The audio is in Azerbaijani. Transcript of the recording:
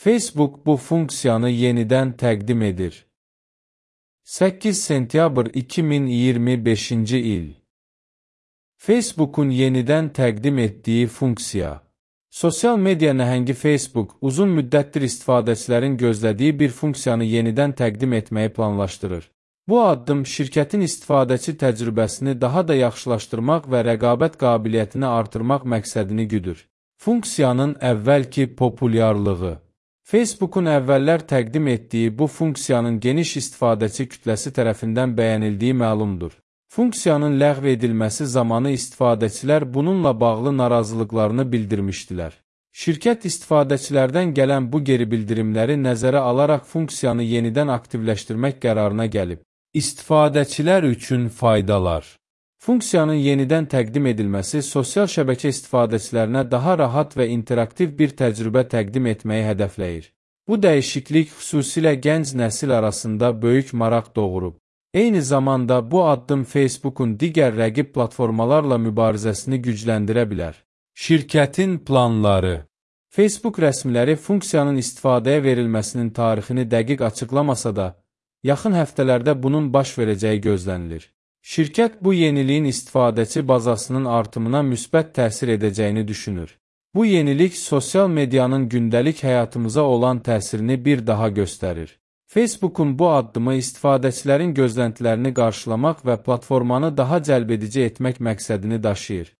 Facebook bu funksiyanı yenidən təqdim edir. 8 sentyabr 2025-ci il. Facebook'un yenidən təqdim etdiyi funksiya. Sosial media nəhəngi Facebook uzun müddətdir istifadəçilərin gözlədiyi bir funksiyanı yenidən təqdim etməyi planlaşdırır. Bu addım şirkətin istifadəçi təcrübəsini daha da yaxşılaşdırmaq və rəqabət qabiliyyətini artırmaq məqsədini güdür. Funksiyanın əvvəlki populyarlığı. Facebook'un əvvəllər təqdim etdiyi bu funksiyanın geniş istifadəçi kütləsi tərəfindən bəyənildiyi məlumdur. Funksiyanın ləğv edilməsi zamanı istifadəçilər bununla bağlı narazılıqlarını bildirmişdilər. Şirkət istifadəçilərdən gələn bu geri bildirimləri nəzərə alaraq funksiyanı yenidən aktivləşdirmək qərarına gəlib. İstifadəçilər üçün faydalar. Funksiyanın yenidən təqdim edilməsi sosial şəbəkə istifadəçilərinə daha rahat və interaktiv bir təcrübə təqdim etməyi hədəfləyir. Bu dəyişiklik xüsusilə gənc nəsil arasında böyük maraq doğurub. Eyni zamanda bu addım Facebook'un digər rəqib platformalarla mübarizəsini gücləndirə bilər. Şirkətin planları. Facebook rəsmiləri funksiyanın istifadəyə verilməsinin tarixini dəqiq açıqlamasa da, yaxın həftələrdə bunun baş verəcəyi gözlənilir. Şirkət bu yeniliyin istifadəçi bazasının artımına müsbət təsir edəcəyini düşünür. Bu yenilik sosial medianın gündəlik həyatımıza olan təsirini bir daha göstərir. Facebook'un bu addımı istifadəçilərin gözləntilərini qarşılamaq və platformanı daha cəlbedici etmək məqsədini daşıyır.